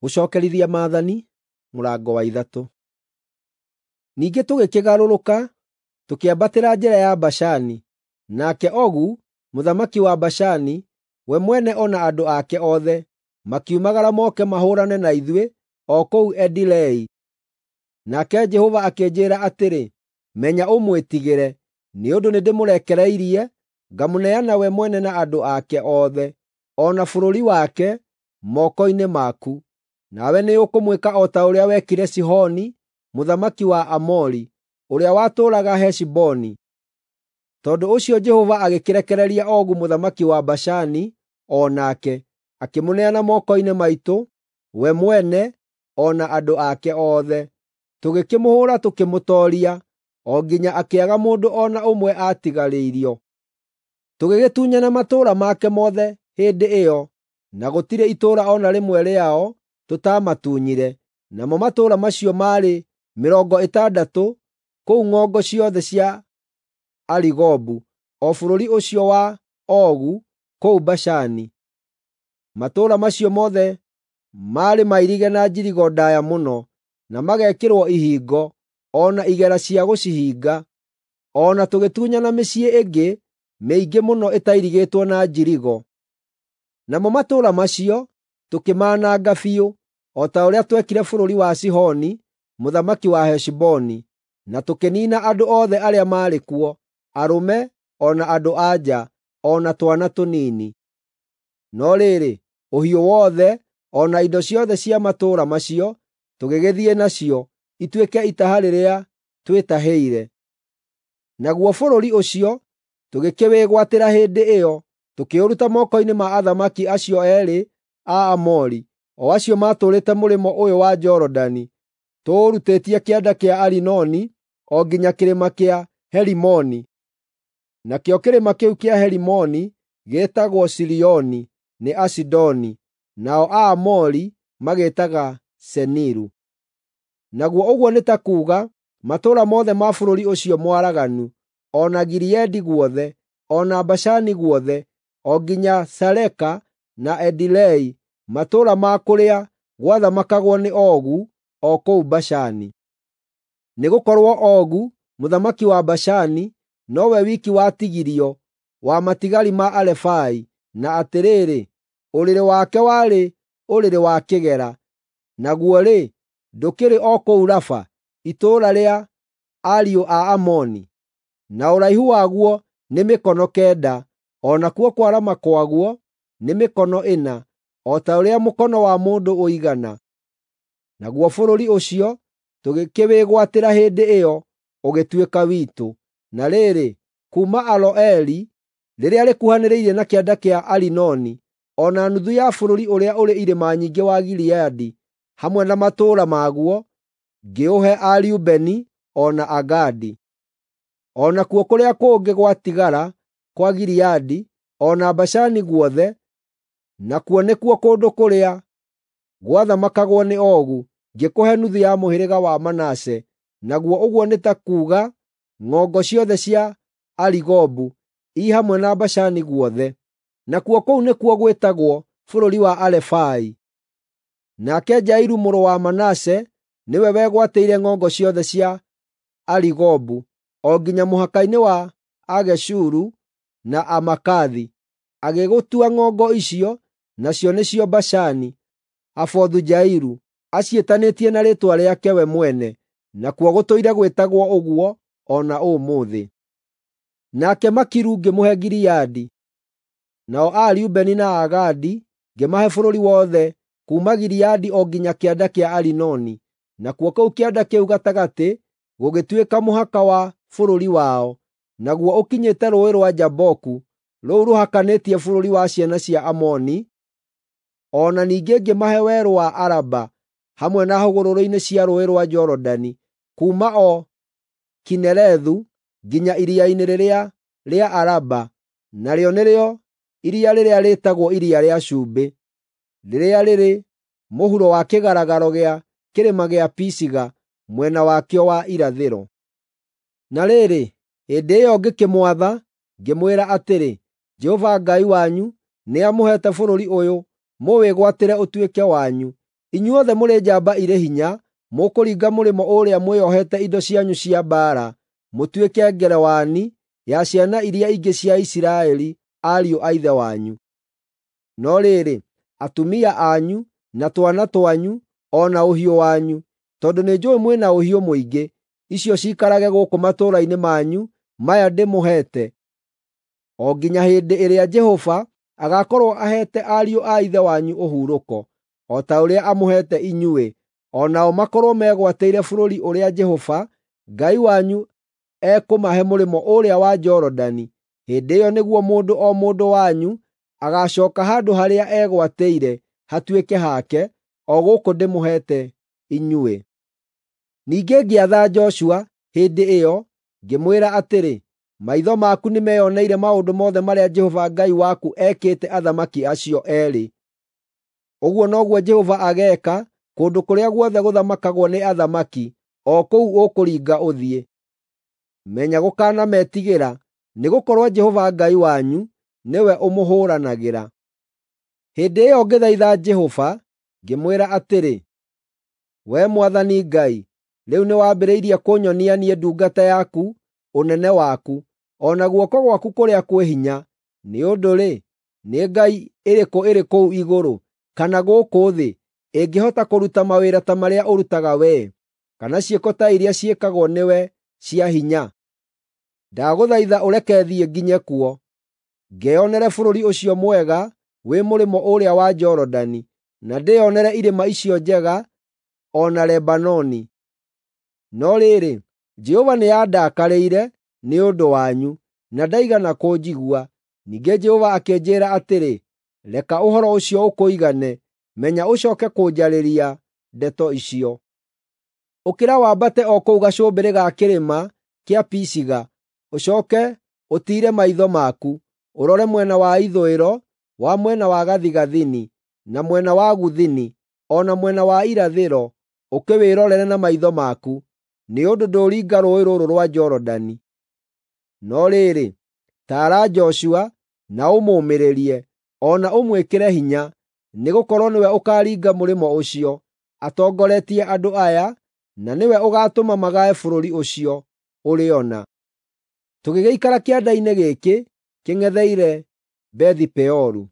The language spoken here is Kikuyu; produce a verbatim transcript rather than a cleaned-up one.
Gũcookerithia Maathani mũrango wa ithatũ. Ningĩ tũgĩkĩgarũrũka, tũkĩambatĩra njĩra ya Bashani, nake Ogu, mũthamaki wa Bashani, we mwene o na andũ ake othe, makiumagara moke mahũũrane na ithuĩ o kũu Edirei. Nake Jehova akĩnjĩĩra atĩrĩ, “Menya ũmwĩtigĩre, nĩ ũndũ nĩndĩmũrekereirie ngamũneana we mwene na andũ ake othe, o na bũrũri wake, moko-inĩ maku. Nawe nĩũkũmwĩka o ta ũrĩa wekire Sihoni mũthamaki wa Aamori, ũrĩa watũũraga Heshiboni.” Tondũ ũcio Jehova agĩkĩrekereria Ogu mũthamaki wa Bashani o nake, akĩmũneana moko-inĩ maitũ, we mwene o na andũ ake othe. Tũgĩkĩmũhũũra tũkĩmũtooria, o nginya akĩaga mũndũ o na ũmwe aatigarĩirio. Tũgĩgĩtunyana matũũra make mothe hĩndĩ ĩyo, na gũtirĩ itũũra o na rĩmwe rĩao tũtaamatunyire, namo matũũra macio maarĩ mĩrongo ĩtandatũ kũu ng'ongo ciothe cia Arigobu, o bũrũri ũcio wa Ogu kũu Bashani. Matũũra macio mothe maarĩ mairige na njirigo ndaaya mũno, na magekĩrwo ihingo, o na igera cia gũcihinga. O na tũgĩtunyana mĩciĩ ĩngĩ mĩingĩ mũno ĩtairigĩtwo na njirigo. Namo matũũra macio tũkĩmaananga biũ, o ta ũrĩa twekire bũrũri wa Sihoni mũthamaki wa Heshiboni, na tũkĩniina andũ othe arĩa maarĩ kuo, arũme o na andũ-a-nja, o na twana tũnini. No rĩrĩ, ũhiũ wothe o na indo ciothe cia matũũra macio tũgĩgĩthiĩ nacio, ituĩke itaha rĩrĩa twĩtahĩire. Naguo bũrũri ũcio tũgĩkĩwĩgwatĩra hĩndĩ ĩyo, tũkĩũruta moko-inĩ ma athamaki acio eerĩ a Aamori, o acio maatũũrĩte mũrĩmo ũyũ wa Jorodani, tũũrutĩtie kĩanda kĩa Arinoni o nginya kĩrĩma kĩa Herimoni. Nakĩo kĩrĩma kĩu kĩa Herimoni gĩĩtagwo Sirioni nĩ Asidoni, nao Aamori magĩĩtaga Seniru. Naguo ũguo nĩ ta kuuga matũũra mothe ma bũrũri ũcio mwaraganu, o na Gileadi guothe, o na Bashani guothe, o nginya Saleka na Edirei, matũũra ma kũrĩa gwathamakagwo nĩ Ogu o kũu Bashani. Nĩgũkorwo Ogu mũthamaki wa Bashani nowe wiki watigirio wa matigari ma Arefai, na atĩrĩrĩ, ũrĩrĩ wake warĩ ũrĩrĩ wa kĩgera, naguo-rĩ, ndũkĩrĩ o kũu Raba, itũũra rĩa ariũ a Amoni. Na ũraihu waguo nĩ mĩkono kenda, o nakuo kwarama kwaguo nĩ mĩkono ĩna, o ta ũrĩa mũkono wa mũndũ ũigana. Naguo bũrũri ũcio tũgĩkĩwĩgwatĩra hĩndĩ ĩyo ũgĩtuĩka witũ. Na rĩrĩ, kuuma Aroeri, rĩrĩa rĩkuhanĩrĩirie na kĩanda kĩa Arinoni, o na nuthu ya bũrũri ũrĩa ũrĩ irĩma nyingĩ wa Gileadi, hamwe na matũũra maguo, ngĩũhe Arubeni o na Agadi. O nakuo kũrĩa kũngĩ gwatigara kwa Gileadi, o na Bashani guothe, nakuo nĩkuo kũndũ kũrĩa gwathamakagwo nĩ Ogu, ngĩkũhe nuthu ya mũhĩrĩga wa Manase, naguo ũguo nĩ ta kuuga ng'ongo ciothe cia Arigobu, i hamwe na Bashani guothe. Nakuo kũu nĩkuo gwĩtagwo bũrũri wa Arefai. Nake Jairu mũrũ wa Manase nĩwe wegwatĩire ng'ongo ciothe cia Arigobu, o nginya mũhaka-inĩ wa Ageshuru na Amakathi. Agĩgũtua ng'ongo icio, nacio nĩcio Bashani, Havothu-Jairu, aciĩtanĩtie na rĩĩtwa rĩake we mwene, nakuo gũtũire gwĩtagwo ũguo o na ũmũthĩ. Nake Makiru ngĩmũhe Gileadi, nao Arubeni na Agadi ngĩmahe bũrũri wothe kuuma Gileadi o nginya kĩanda kĩa Arinoni, nakuo kũu kĩanda kĩu gatagatĩ gũgĩtuĩka mũhaka wa bũrũri wao, naguo ũkinyĩte Rũũĩ rwa Jaboku, rũu rũhakanĩtie bũrũri wa ciana cia Amoni. O na ningĩ ngĩmahe werũ wa Araba, hamwe na hũgũrũrũ-inĩ cia Rũũĩ rwa Jorodani, kuuma o Kinerethu nginya iria-inĩ rĩrĩa rĩa Araba, narĩo nĩrĩo iria rĩrĩa rĩĩtagwo Iria rĩa Cumbĩ, rĩrĩa rĩrĩ mũhuro wa kĩgaragaro gĩa kĩrĩma gĩa Pisiga mwena wakĩo wa irathĩro. Na rĩrĩ, hĩndĩ ĩyo ngĩkĩmwatha, ngĩmwĩra atĩrĩ, “Jehova Ngai wanyu nĩamũheete bũrũri ũyũ mũwĩgwatĩre ũtuĩke wanyu. Inyuothe mũrĩ njamba irĩ hinya, mũkũringa mũrĩmo ũũrĩa mwĩohete indo cianyu cia mbaara, mũtuĩke ngerewani ya ciana iria ingĩ cia Isiraeli ariũ a ithe wanyu. No rĩrĩ, atumia anyu, na twana twanyu, o na ũhiũ wanyu, tondũ nĩnjũũĩ mwĩ na ũhiũ mũingĩ, icio ciikarage gũkũ matũũra-inĩ manyu maya ndĩmũheete, o nginya hĩndĩ ĩrĩa Jehova agaakorwo aheete ariũ a ithe wanyu ũhurũko, o ta ũrĩa amũheete inyuĩ, o nao makorwo megwatĩire bũrũri ũrĩa Jehova Ngai wanyu ekũmahe mũrĩmo ũũrĩa wa Jorodani. Hĩndĩ ĩyo nĩguo mũndũ o mũndũ wanyu agaacooka handũ harĩa egwatĩire hatuĩke hake, o gũkũ ndĩmũheete inyuĩ. Ningĩ ngĩatha Joshua hĩndĩ ĩyo, ngĩmwĩra atĩrĩ, “Maitho maku nĩmeyoneire maũndũ mothe marĩa Jehova Ngai waku ekĩte athamaki acio eerĩ. Ũguo noguo Jehova ageeka kũndũ kũrĩa guothe gũthamakagwo nĩ athamaki, o kũu ũkũringa ũthiĩ. Menya gũkanametigĩra, nĩgũkorwo Jehova Ngai wanyu nĩwe ũmũhũũranagĩra.” Hĩndĩ ĩyo ngĩthaitha Jehova, ngĩmwĩra atĩrĩ, “Wee Mwathani Ngai, rĩu nĩwambĩrĩirie kũnyonia niĩ ndungata yaku ũnene waku, o na guoko gwaku kũrĩa kwĩ hinya. Nĩ ũndũ-rĩ, nĩ ngai ĩrĩkũ ĩrĩ kũu igũrũ kana gũkũ thĩ ĩngĩhota kũruta mawĩra ta marĩa ũrutaga wee, kana ciĩko ta iria ciĩkagwo nĩwe cia hinya? Ndagũthaitha ũreke thiĩ nginye kuo, ngeyonere bũrũri ũcio mwega wĩ mũrĩmo ũũrĩa wa Jorodani, na ndĩyonere irĩma icio njega o na Lebanoni.” No rĩrĩ, Jehova nĩandakarĩire nĩ ũndũ wanyu, na ndaigana kũnjigua. Ningĩ Jehova akĩnjĩĩra atĩrĩ, “Reka ũhoro ũcio ũkũigane; menya ũcooke kũnjarĩria ndeto icio. Ũkĩra wambate o kũu gacũmbĩrĩ ga kĩrĩma kĩa Pisiga, ũcooke ũtiire maitho maku, ũrore mwena wa ithũĩro, wa mwena wa gathigathini, na mwena wa gũthini, o na mwena wa irathĩro, ũkĩwĩrorere na maitho maku, nĩ ũndũ ndũũringa rũũĩ rũrũ rwa Jorodani. No rĩrĩ, taara Joshua na ũmũũmĩrĩrie, o na ũmwĩkĩre hinya, nĩgũkorwo nĩwe ũkaaringa mũrĩmo ũcio, atongoretie andũ aya, na nĩwe ũgaatũma magae bũrũri ũcio ũrĩona. Tũgĩgĩikara kĩanda-inĩ gĩkĩ kĩng'etheire Bethi-Peoru.